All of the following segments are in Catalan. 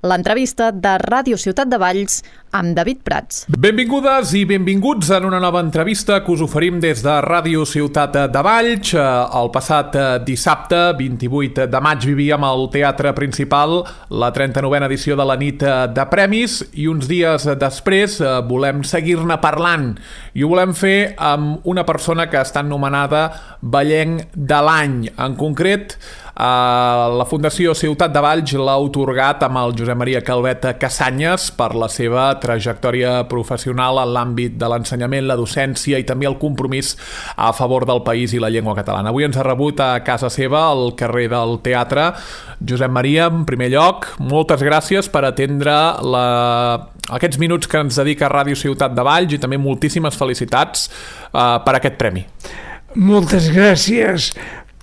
l'entrevista de Ràdio Ciutat de Valls amb David Prats. Benvingudes i benvinguts en una nova entrevista que us oferim des de Ràdio Ciutat de Valls. El passat dissabte, 28 de maig, vivíem al Teatre Principal la 39a edició de la nit de premis i uns dies després volem seguir-ne parlant i ho volem fer amb una persona que està anomenada Vallenc de l'Any. En concret, la Fundació Ciutat de Valls l'ha atorgat amb el Josep Maria Calvet Cassanyes per la seva trajectòria professional en l'àmbit de l'ensenyament, la docència i també el compromís a favor del país i la llengua catalana. Avui ens ha rebut a casa seva, al carrer del Teatre. Josep Maria, en primer lloc, moltes gràcies per atendre aquests minuts que ens dedica Ràdio Ciutat de Valls i també moltíssimes felicitats per aquest premi. Moltes gràcies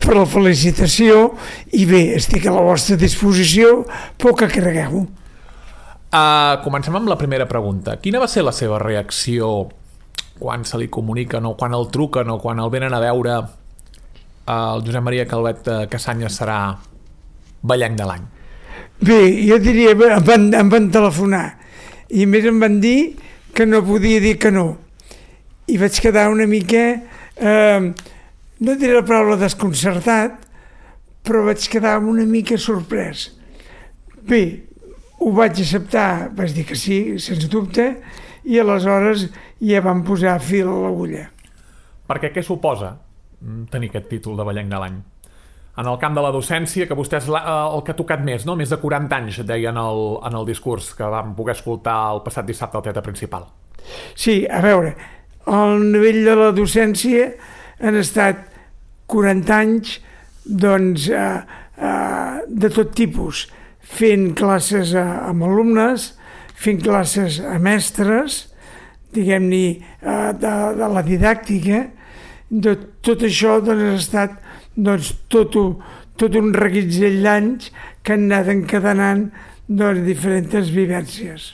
per la felicitació i bé, estic a la vostra disposició, però que cregueu. Comencem amb la primera pregunta. Quina va ser la seva reacció quan se li comuniquen o quan el truquen o quan el venen a veure el Josep Maria Calvet Cassanyes serà Vallenc de l'Any? Bé, jo diria, em van telefonar i més em van dir que no podia dir que no. I vaig quedar una mica... no diré la paraula desconcertat, però vaig quedar una mica sorprès. Bé, ho vaig acceptar, vaig dir que sí, sens dubte, i aleshores ja vam posar fil a l'agulla. Perquè què suposa tenir aquest títol de Vallenc de l'Any? En el camp de la docència, que vostè és el que ha tocat més, no? Més de 40 anys, deia en el discurs que vam poder escoltar el passat dissabte al Teatre Principal. Sí, a veure, al nivell de la docència han estat 40 anys doncs, de tot tipus, fent classes amb alumnes, fent classes a mestres, diguem-ne, de la didàctica. De tot això doncs, ha estat doncs, tot un reguitzell d'anys que han anat encadenant doncs, diferents vivències.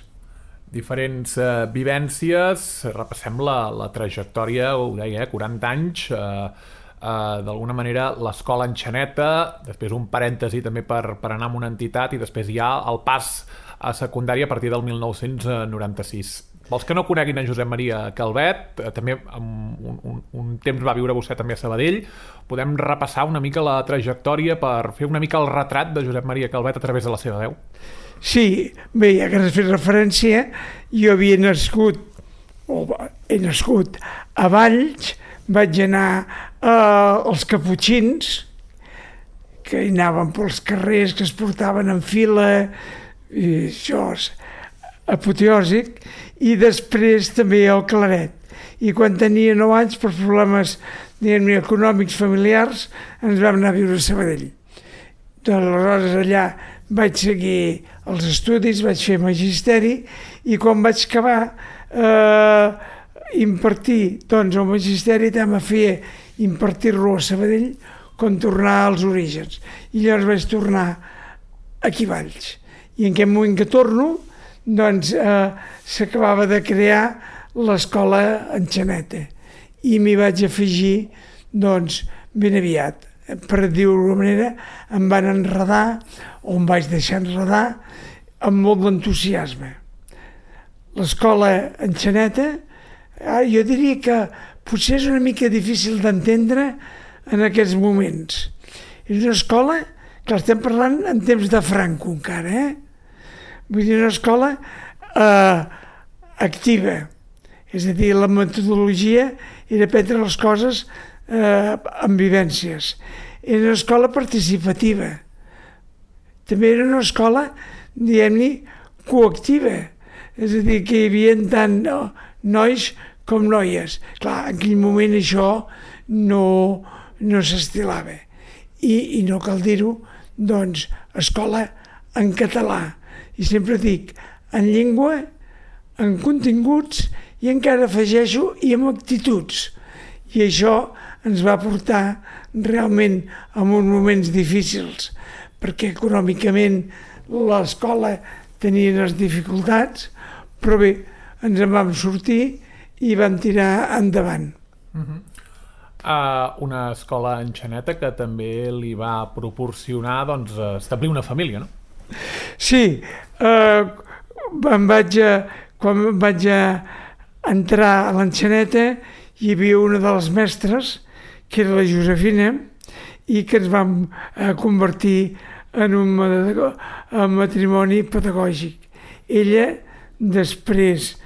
Diferents vivències, repassem la trajectòria, ho deia, 40 anys, d'alguna manera l'escola Enxaneta, després un parèntesi també per anar amb una entitat i després ja el pas a secundària a partir del 1996. Vols que no coneguin a Josep Maria Calvet, també un temps va viure vostè també a Sabadell, podem repassar una mica la trajectòria per fer una mica el retrat de Josep Maria Calvet a través de la seva veu? Sí, bé, ja que has fet referència, jo havia nascut, he nascut a Valls, vaig anar als caputxins, que hi anaven pels carrers, que es portaven en fila, i això és apoteòsic, i després també al Claret. I quan tenia 9 anys, per problemes econòmics familiars, ens vam anar a viure a Sabadell. Aleshores allà vaig seguir els estudis, vaig fer magisteri i quan vaig acabar impartir doncs, el magisteri també feia impartir-lo a Sabadell com tornar als orígens. I llavors vaig tornar aquí a Valls. I en aquest moment que torno doncs, s'acabava de crear l'escola Enxaneta i m'hi vaig afegir doncs, ben aviat. Per dir-ho d'alguna manera, em van enredar, o em vaig deixar enredar, amb molt d'entusiasme. L'escola Enxaneta, jo diria que potser és una mica difícil d'entendre en aquests moments. És una escola que estem parlant en temps de Franco encara, Vull dir, una escola activa, és a dir, la metodologia era prendre les coses amb vivències. Era una escola participativa. També era una escola, diguem-ne, coactiva. És a dir, que hi havia tant nois com noies. Clar, en aquell moment això no s'estilava. I no cal dir-ho, doncs, escola en català. I sempre dic, en llengua, en continguts i encara afegeixo i amb actituds. I això ens va portar realment a uns moments difícils, perquè econòmicament l'escola tenia les dificultats, però bé, ens en vam sortir i vam tirar endavant. Una escola Enxaneta que també li va proporcionar doncs, establir una família, no? Sí, quan vaig entrar a l'Enxaneta hi havia una de les mestres, que era la Josefina, i que ens vam convertir en un matrimoni pedagògic. Ella, després,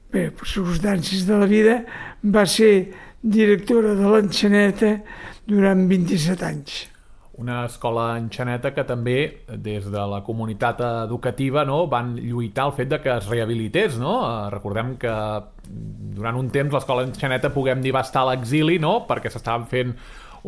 per circumstàncies de la vida, va ser directora de l'Enxaneta durant 27 anys. Una escola enxaneta que també, des de la comunitat educativa, no, van lluitar el fet de que es rehabilités. No? Recordem que durant un temps l'escola enxaneta, puguem dir, va estar a l'exili, no? Perquè s'estaven fent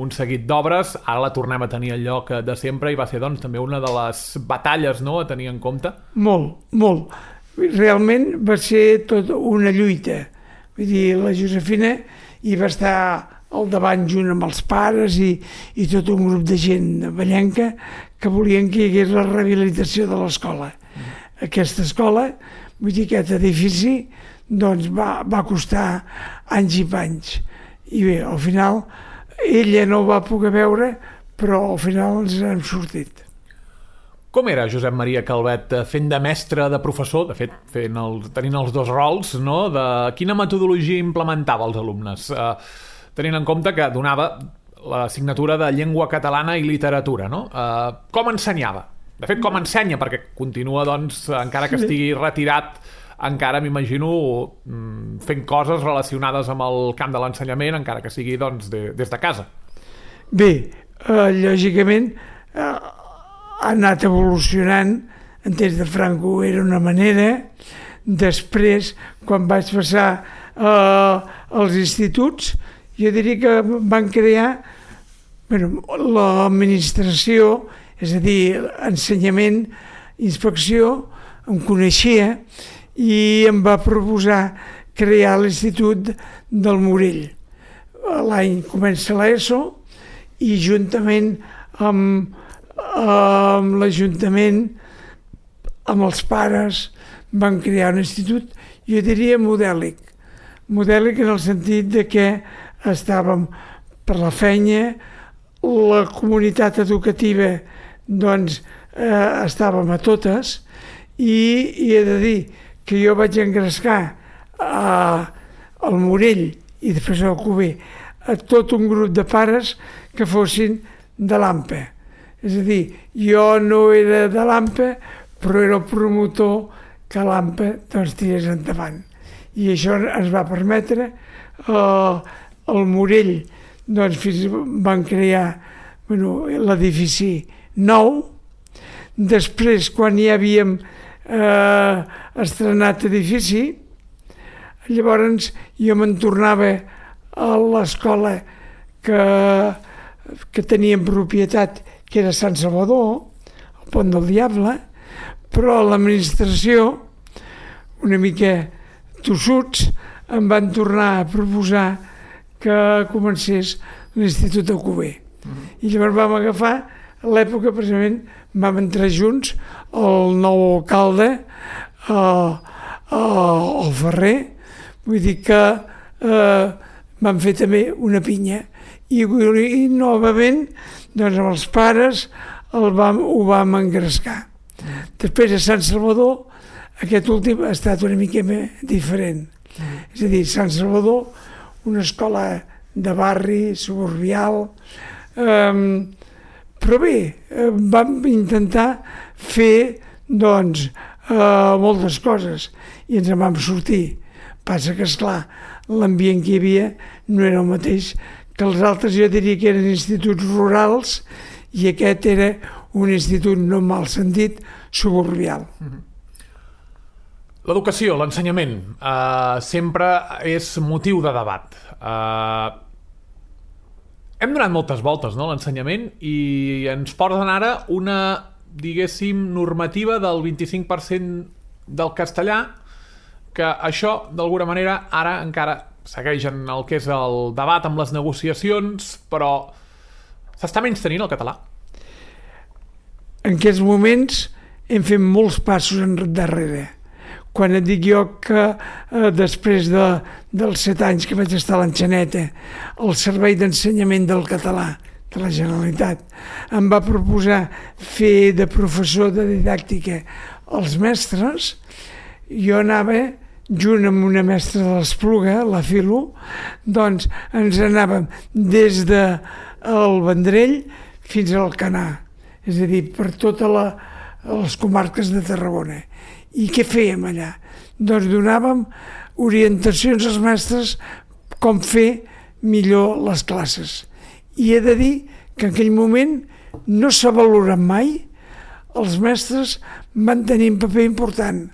un seguit d'obres, ara la tornem a tenir al lloc de sempre i va ser doncs, també una de les batalles, no?, a tenir en compte. Molt, molt. Realment va ser tot una lluita. Vull dir, la Josefina hi va estar al davant junt amb els pares i tot un grup de gent vallenca que volien que hi hagués la rehabilitació de l'escola. Aquesta escola, vull dir, aquest edifici, doncs va costar anys i panys. I bé, al final, ella no ho va poder veure, però al final ens hem sortit. Com era Josep Maria Calvet fent de mestre, de professor, de fet, tenint els dos rols, no? De quina metodologia implementava als alumnes? Tenint en compte que donava l'assignatura de llengua catalana i literatura, no? Com ensenyava? De fet, com ensenya? Perquè continua, doncs, encara que estigui retirat, encara m'imagino fent coses relacionades amb el camp de l'ensenyament, encara que sigui, doncs, des de casa. Bé, lògicament, ha anat evolucionant. En temps de Franco era una manera. Després, quan vaig passar als instituts, jo diria que van crear l'administració, és a dir, ensenyament, inspecció, em coneixia i em va proposar crear l'Institut del Morell. L'any comença l'ESO i juntament amb l'Ajuntament, amb els pares, van crear un institut, jo diria modèlic. Modèlic en el sentit de que estàvem per la feina, la comunitat educativa doncs estàvem a totes i he de dir que jo vaig engrescar al Morell i després al Cuber a tot un grup de pares que fossin de l'AMPA. És a dir, jo no era de l'AMPA, però era el promotor que l'AMPA doncs tirés endavant. I això ens va permetre el Morell, doncs van crear l'edifici nou. Després, quan ja havíem estrenat edifici, llavors jo me'n tornava a l'escola que tenia en propietat, que era Sant Salvador, el Pont del Diable, però l'administració, una mica tossuts, em van tornar a proposar que comencés l'Institut de Cuber. I llavors vam agafar l'època, precisament, vam entrar junts, el nou alcalde, el Ferrer, vull dir que vam fer també una pinya. I novament, doncs amb els pares ho vam engrescar. Després a Sant Salvador, aquest últim ha estat una mica diferent. És a dir, Sant Salvador, una escola de barri, suburbial, però bé, vam intentar fer, doncs, moltes coses i ens en vam sortir. Passa que, esclar, l'ambient que hi havia no era el mateix que els altres, jo diria que eren instituts rurals i aquest era un institut, no en mal sentit, suburbial. L'educació, l'ensenyament, sempre és motiu de debat. Hem donat moltes voltes, no?, a l'ensenyament, i ens porten ara una, diguéssim, normativa del 25% del castellà, que això, d'alguna manera, ara encara segueix en el que és el debat amb les negociacions, però s'està menystenint el català. En aquests moments hem fet molts passos endarrere. Quan et dic jo que després dels 7 anys que vaig estar a l'Enxaneta, el servei d'ensenyament del català de la Generalitat. Em va proposar fer de professor de didàctica als mestres. Jo anava junt amb una mestra de l'Espluga, la Filo, doncs ens anàvem des del Vendrell fins al Canà, és a dir, per totes les comarques de Tarragona. I què fèiem allà? Doncs donàvem orientacions als mestres com fer millor les classes. I he de dir que en aquell moment no s'ha valorat mai, els mestres van tenir un paper important.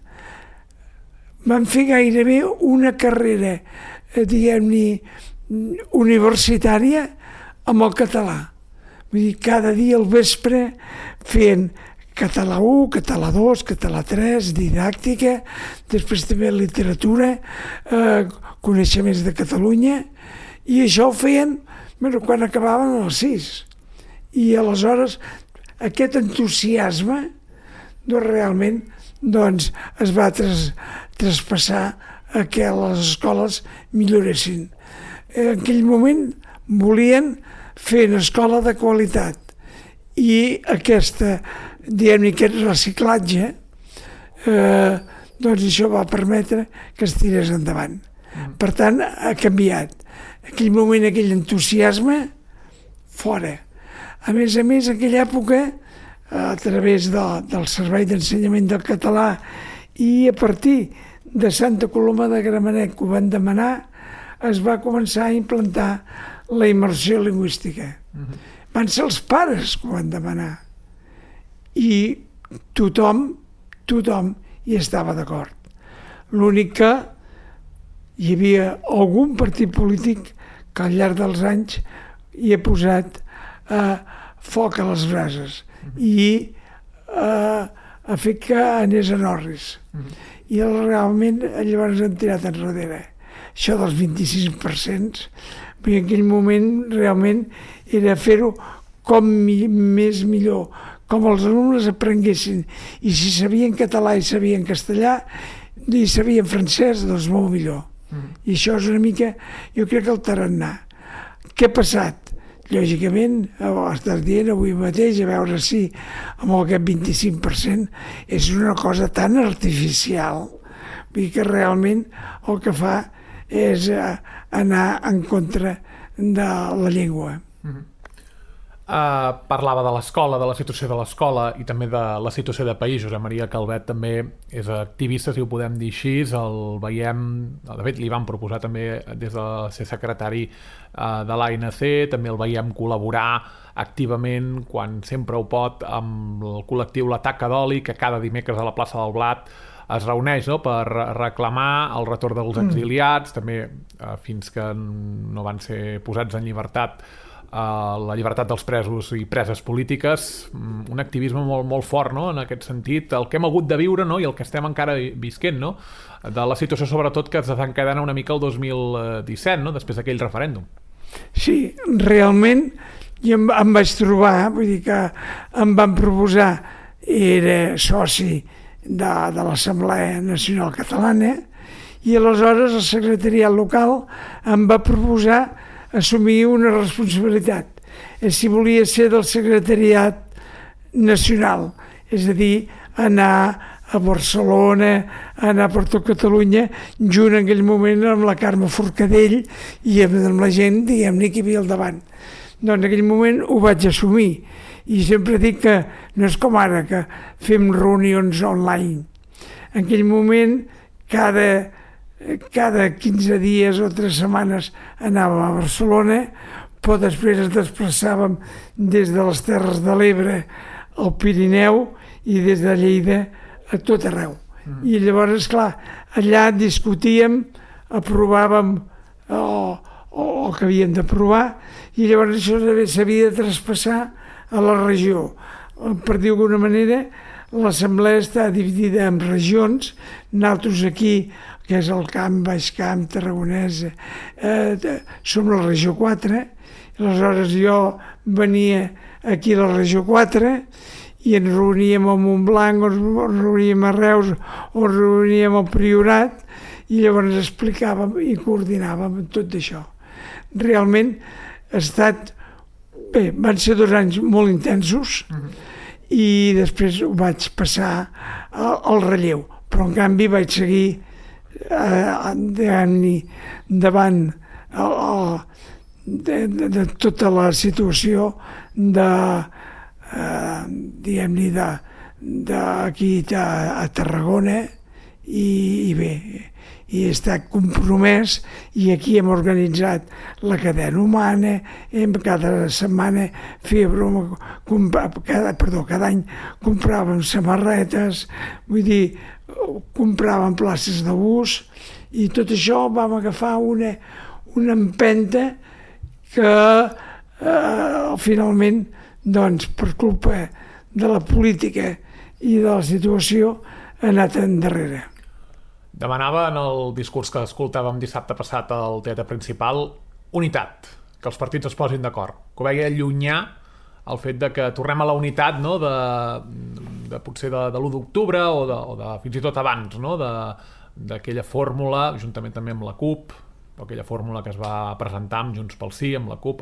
Van fer gairebé una carrera, diguem-ne, universitària amb el català. Vull dir, cada dia al vespre feien català 1, català 2, català 3, didàctica, després també literatura, coneixements de Catalunya, i això ho feien quan acabaven els 6. I aleshores aquest entusiasme realment es va traspassar a que les escoles milloressin. En aquell moment volien fer una escola de qualitat i aquest reciclatge això va permetre que es tirés endavant. Per tant, ha canviat. En aquell moment, aquell entusiasme, fora. A més, en aquella època, a través del Servei d'Ensenyament del Català i a partir de Santa Coloma de Gramenet, que ho van demanar, es va començar a implantar la immersió lingüística. Van ser els pares que ho van demanar. I tothom hi estava d'acord. L'únic que hi havia algun partit polític que al llarg dels anys hi ha posat foc a les brases i ha fet que anés en orris. I realment llavors han tirat enrere. Això dels 25%, perquè en aquell moment realment era fer-ho com més millor, com els alumnes aprenguessin. I si sabien català i sabien castellà i sabien francès, doncs molt millor. I això és una mica, jo crec, el tarannà. Què ha passat? Lògicament, estàs dient avui mateix, a veure si amb aquest 25% és una cosa tan artificial, vull dir que realment el que fa és anar en contra de la llengua. Parlava de l'escola, de la situació de l'escola i també de la situació de país. Josep Maria Calvet també és activista, si ho podem dir així, el veiem, de fet li van proposar també des de ser secretari de l'ANC, també el veiem col·laborar activament quan sempre ho pot amb el col·lectiu La Taca d'Oli, que cada dimecres a la plaça del Blat es reuneix, no?, per reclamar el retorn dels exiliats, també fins que no van ser posats en llibertat, la llibertat dels presos i preses polítiques, un activisme molt fort, no?, en aquest sentit, el que hem hagut de viure, no?, i el que estem encara visquent, no?, de la situació sobretot que es desencadena una mica el 2017, no?, després d'aquell referèndum. Sí, realment jo em vaig trobar, vull dir que em van proposar, era soci de l'Assemblea Nacional Catalana, i aleshores el secretariat local em va proposar assumir una responsabilitat, si volia ser del secretariat nacional, és a dir, anar a Barcelona, anar per tot Catalunya, junt en aquell moment amb la Carme Forcadell i amb la gent, diguem-ne, que hi havia al davant. Doncs en aquell moment ho vaig assumir, i sempre dic que no és com ara, que fem reunions online. En aquell moment, cada 15 dies o 3 setmanes anàvem a Barcelona, però després ens desplaçàvem des de les Terres de l'Ebre al Pirineu i des de Lleida a tot arreu. I llavors, esclar, allà discutíem, aprovàvem el que havíem d'aprovar, i llavors això s'havia de traspassar a la regió. Per dir d'alguna manera, l'assemblea està dividida en regions, nosaltres aquí, que és el Camp, Baix Camp, Tarragonès, som la regió 4, aleshores jo venia aquí a la regió 4 i ens reuníem a Montblanc, o ens reuníem a Reus, o ens reuníem al Priorat, i llavors explicàvem i coordinàvem tot això. Realment ha estat Bé, van ser 2 anys molt intensos i després ho vaig passar al relleu, però en canvi vaig seguir davant de tota la situació d'aquí a Tarragona i bé, i he estat compromès i aquí hem organitzat la cadena humana, cada setmana feia broma, cada any compràvem samarretes, vull dir, compràvem places de bus i tot això vam agafar una empenta que finalment, doncs, per culpa de la política i de la situació ha anat endarrere. Demanava en el discurs que escoltàvem dissabte passat al Teatre Principal unitat, que els partits es posin d'acord, que ho veia llunyà el fet de que tornem a la unitat, no? de potser de l'1 d'octubre o de fins i tot abans, no? d'aquella fórmula, juntament també amb la CUP, aquella fórmula que es va presentar amb Junts pel Sí, amb la CUP,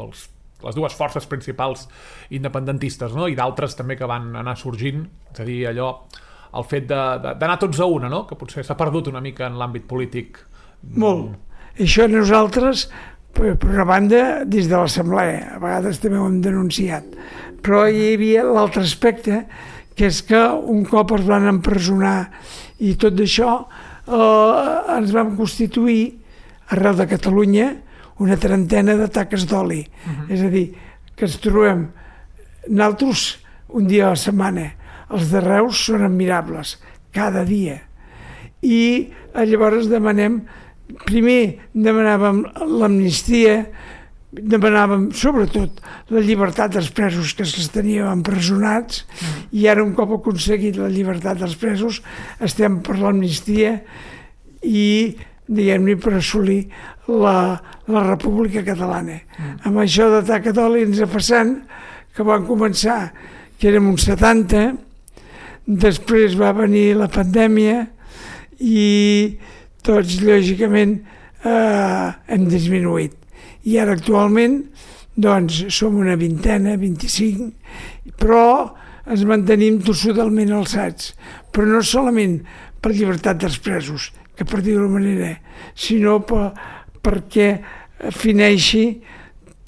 les dues forces principals independentistes, no? I d'altres també que van anar sorgint, és a dir, allò, el fet d'anar tots a una, no? Que potser s'ha perdut una mica en l'àmbit polític. Molt. Això nosaltres, per una banda, dins de l'Assemblea, a vegades també ho hem denunciat, però hi havia l'altre aspecte, que és que un cop els van empresonar i tot això, ens vam constituir arreu de Catalunya una trentena de taques d'oli. És a dir, que ens trobem nosaltres un dia a la setmana. Els de Reus són admirables, cada dia. I llavors primer demanàvem l'amnistia, demanàvem sobretot la llibertat dels presos que els teníem empresonats i ara un cop aconseguit la llibertat dels presos estem per l'amnistia i diguem-ne per assolir la República Catalana. Amb això de taca d'oli ens ha passant que van començar que érem uns 70, després va venir la pandèmia i tots lògicament hem disminuït. I ara actualment doncs som una vintena, 25, però ens mantenim tossudament alçats, però no solament per llibertat dels presos, que per dir-ho manera, sinó perquè fineixi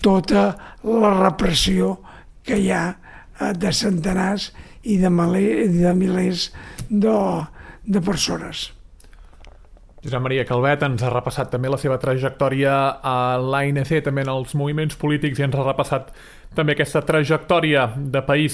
tota la repressió que hi ha de centenars i de milers de persones. Josep Maria Calvet ens ha repassat també la seva trajectòria a l'ANC, també en els moviments polítics, i ens ha repassat també aquesta trajectòria de país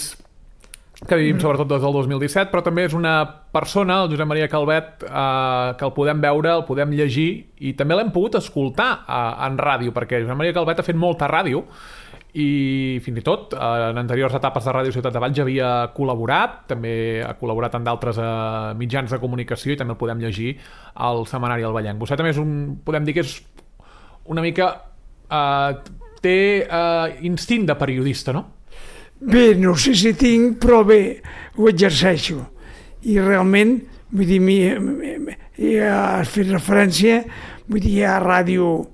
que vivim sobretot des del 2017, però també és una persona, el Josep Maria Calvet, que el podem veure, el podem llegir i també l'hem pogut escoltar en ràdio, perquè Josep Maria Calvet ha fet molta ràdio i fins i tot en anteriors etapes de Ràdio Ciutat de Valls havia col·laborat, també ha col·laborat en d'altres mitjans de comunicació i també el podem llegir al Setmanari El Vallenc. Vostè també podem dir que és una mica té instint de periodista, no? Bé, no sé si tinc, però bé, ho exerceixo. I realment, vull dir, has fet referència, vull dir, hi ha ràdio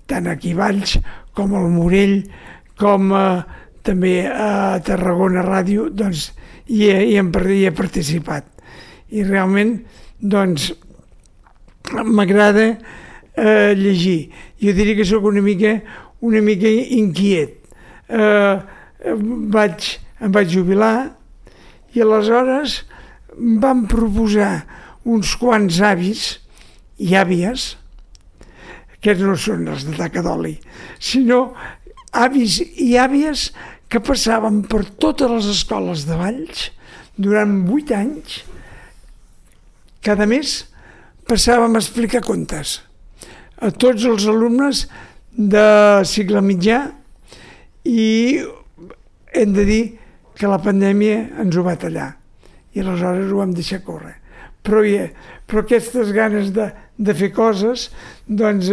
tant aquí a Valls com al Morell, com també a Tarragona Ràdio, doncs hi he participat. I realment, doncs, m'agrada llegir. Jo diria que sóc una mica inquiet. Em vaig jubilar i aleshores em van proposar uns quants avis i àvies, aquests no són els de taca d'oli, sinó avis i àvies que passaven per totes les escoles de Valls durant 8 anys. Cada mes passàvem a explicar contes a tots els alumnes de cicle mitjà i hem de dir que la pandèmia ens ho va tallar i aleshores ho vam deixar córrer. Però aquestes ganes de fer coses, doncs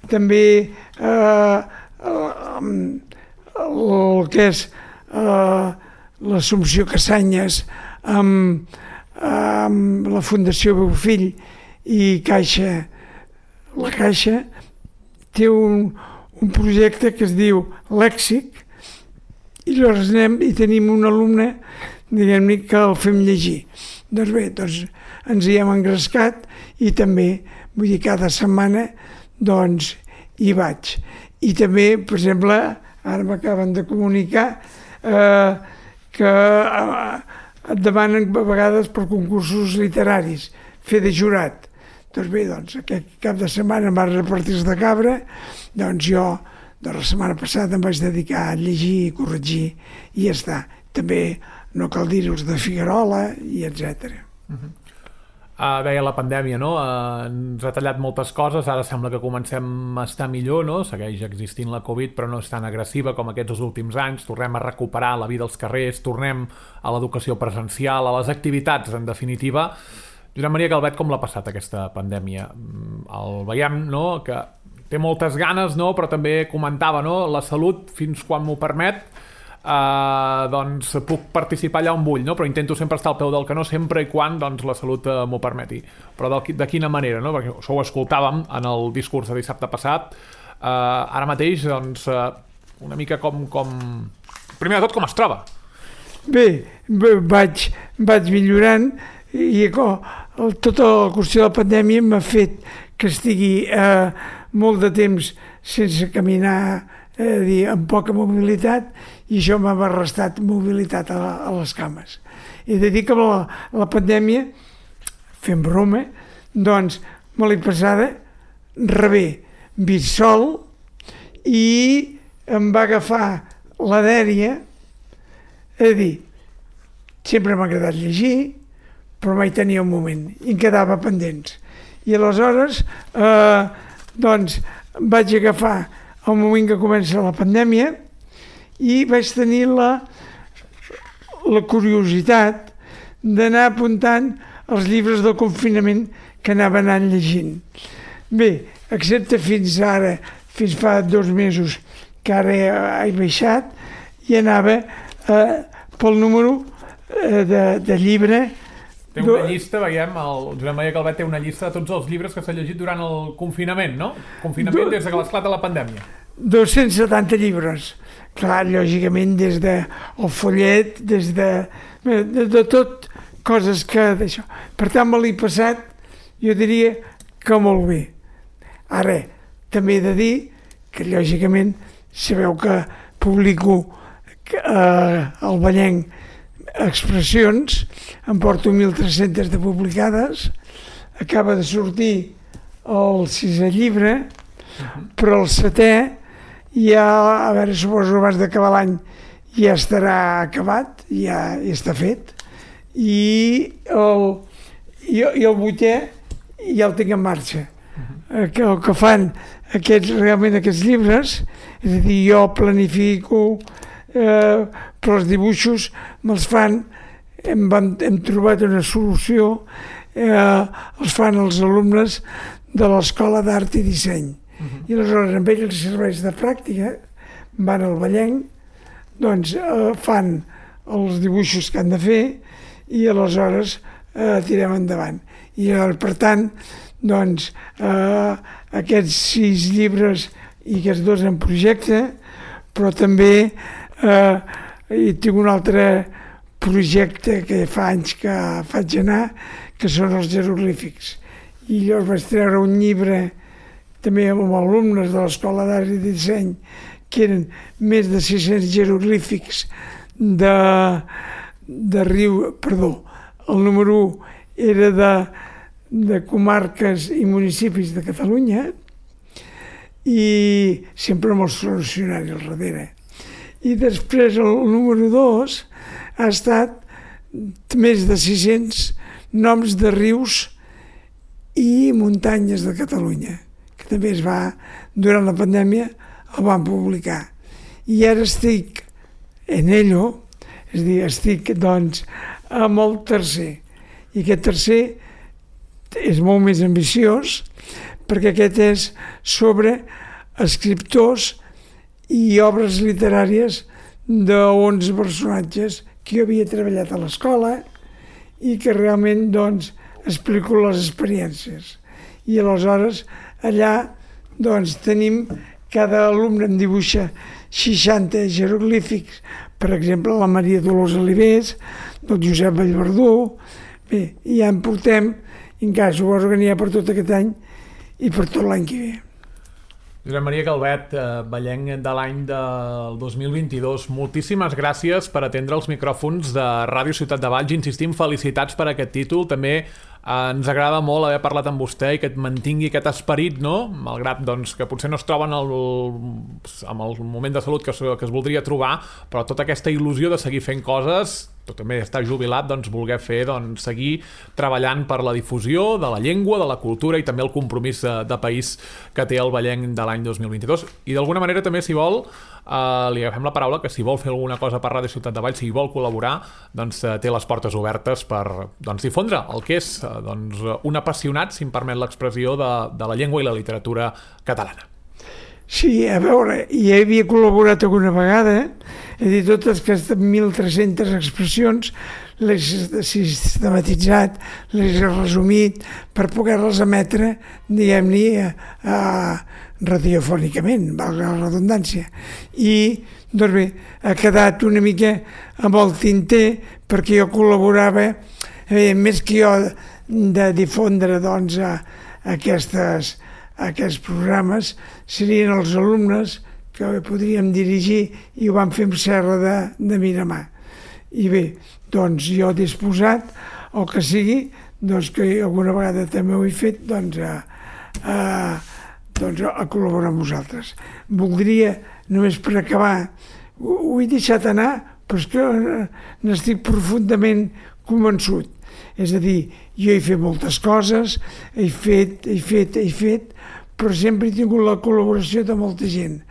també el que és l'Assumpció Cassanyes amb la Fundació Bofill i la Caixa té un projecte que es diu Lèxic i llavors anem i tenim un alumne, diguem-ne, que el fem llegir. Doncs bé, ens hi hem engrescat i també, vull dir, cada setmana, doncs, hi vaig. I també, per exemple, ara m'acaben de comunicar que et demanen a vegades per concursos literaris, fer de jurat. Doncs bé, aquest cap de setmana em va repartir de cabra, doncs jo, la setmana passada em vaig dedicar a llegir i corregir i ja està. També no cal dir els de Figuerola i etc. Deia la pandèmia, no? Ens ha tallat moltes coses, ara sembla que comencem a estar millor, no? Segueix existint la Covid, però no és tan agressiva com aquests últims anys, tornem a recuperar la vida als carrers, tornem a l'educació presencial, a les activitats, en definitiva. Josep Maria Calvet, com l'ha passat aquesta pandèmia? El veiem, no?, que té moltes ganes, no?, però també comentava, no?, la salut, fins quan m'ho permet, doncs puc participar allà on vull, no?, però intento sempre estar al peu del canó, sempre i quan doncs, la salut m'ho permeti. Però de quina manera, no?, perquè això ho escoltàvem en el discurs de dissabte passat. Ara mateix, doncs, una mica com... Primer de tot, com es troba? Bé, vaig millorant i tota la qüestió de la pandèmia m'ha fet que estigui molt de temps sense caminar, amb poca mobilitat, i això m'ha restat mobilitat a les cames. He de dir que la pandèmia, fent broma, doncs me l'he passada rebé, vist sol, i em va agafar la dèria, és a dir, sempre m'ha agradat llegir, però mai tenia un moment, i em quedava pendents. I aleshores, doncs, vaig agafar el moment que comença la pandèmia i vaig tenir la curiositat d'anar apuntant els llibres del confinament que anava anant llegint. Bé, excepte fins ara, fins fa 2 mesos, que ara he baixat, i anava pel número de llibre. Té una llista, veiem, el Josep Maria Calvet té una llista de tots els llibres que s'ha llegit durant el confinament, no? Confinament des que l'esclata la pandèmia. 270 llibres. Clar, lògicament, des del follet, des de tot, coses que d'això. Per tant, me l'he passat, jo diria que molt bé. Ara, també he de dir que, lògicament, sabeu que publico al Vallenc expressions, em porto 1.300 de publicades, acaba de sortir el 6è llibre, però el 7è ja, a veure, suposo abans d'acabar l'any ja estarà acabat, ja està fet, i el 8è ja el tinc en marxa. El que fan realment aquests llibres, és a dir, jo planifico, però els dibuixos me'ls fan, hem trobat una solució, els fan els alumnes de l'Escola d'Art i Disseny. I aleshores amb ells els serveis de pràctica van al Vallenc, doncs fan els dibuixos que han de fer i aleshores tirem endavant. I per tant, doncs, aquests 6 llibres i aquests 2 en projecte, però també i tinc un altre projecte que fa anys que faig anar, que són els jeroglífics. I llavors vaig treure un llibre també amb alumnes de l'Escola d'Art i Disseny, que eren més de 600 jeroglífics de riu, perdó, el número 1 era de comarques i municipis de Catalunya, i sempre amb els funcionaris al darrere. I després el número 2 ha estat més de 600 noms de rius i muntanyes de Catalunya, que també durant la pandèmia el van publicar. I ara estic en ello, és a dir, estic doncs amb el tercer. I aquest tercer és molt més ambiciós, perquè aquest és sobre escriptors i obres literàries d'11 personatges que jo havia treballat a l'escola i que realment doncs explico les experiències. I aleshores allà doncs tenim cada alumne em dibuixa 60 jeroglífics, per exemple, la Maria Dolors Alivés, del Josep Vallverdú. Bé, i ja en portem, i encara s'ho va organitzar per tot aquest any i per tot l'any que ve. Josep Maria Calvet, ballenc de l'any del 2022, moltíssimes gràcies per atendre els micròfons de Ràdio Ciutat de Valls. Insistim, felicitats per aquest títol. També ens agrada molt haver parlat amb vostè i que et mantingui aquest esperit, no? Malgrat doncs, que potser no es troba en el moment de salut que es voldria trobar, però tota aquesta il·lusió de seguir fent coses, tot també estar jubilat, doncs voler fer, doncs, seguir treballant per la difusió de la llengua, de la cultura i també el compromís de país que té el ballenc de l'any 2022. I d'alguna manera també, si vol, li agafem la paraula, que si vol fer alguna cosa per Ràdio Ciutat de Valls, si vol col·laborar, doncs té les portes obertes per difondre el que és un apassionat, si em permet l'expressió, de la llengua i la literatura catalana. Sí, a veure, ja havia col·laborat alguna vegada, he dit totes aquestes 1.300 expressions, les he sistematitzat, les he resumit per poder-les emetre, diguem-ne, radiofònicament, valga la redundància. I, doncs bé, ha quedat una mica amb el tinter perquè jo col·laborava, més que jo de difondre doncs, aquests programes, serien els alumnes que podríem dirigir i ho vam fer amb Serra de Miramar. I bé, doncs jo disposat, el que sigui, doncs que alguna vegada també ho he fet, doncs a col·laborar amb vosaltres. Voldria, només per acabar, ho he deixat anar, però és que n'estic profundament convençut. És a dir, jo he fet moltes coses, he fet, però sempre he tingut la col·laboració de molta gent.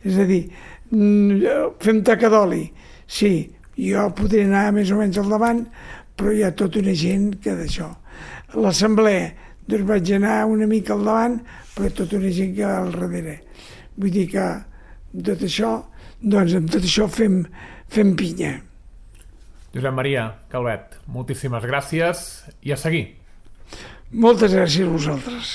És a dir, fem taca d'oli. Sí, jo podré anar més o menys al davant, però hi ha tota una gent que d'això. L'assemblea, doncs vaig anar una mica al davant, però tota una gent que al darrere. Vull dir que tot això, doncs amb tot això fem pinya. Josep Maria Calvet, moltíssimes gràcies i a seguir. Moltes gràcies a vosaltres.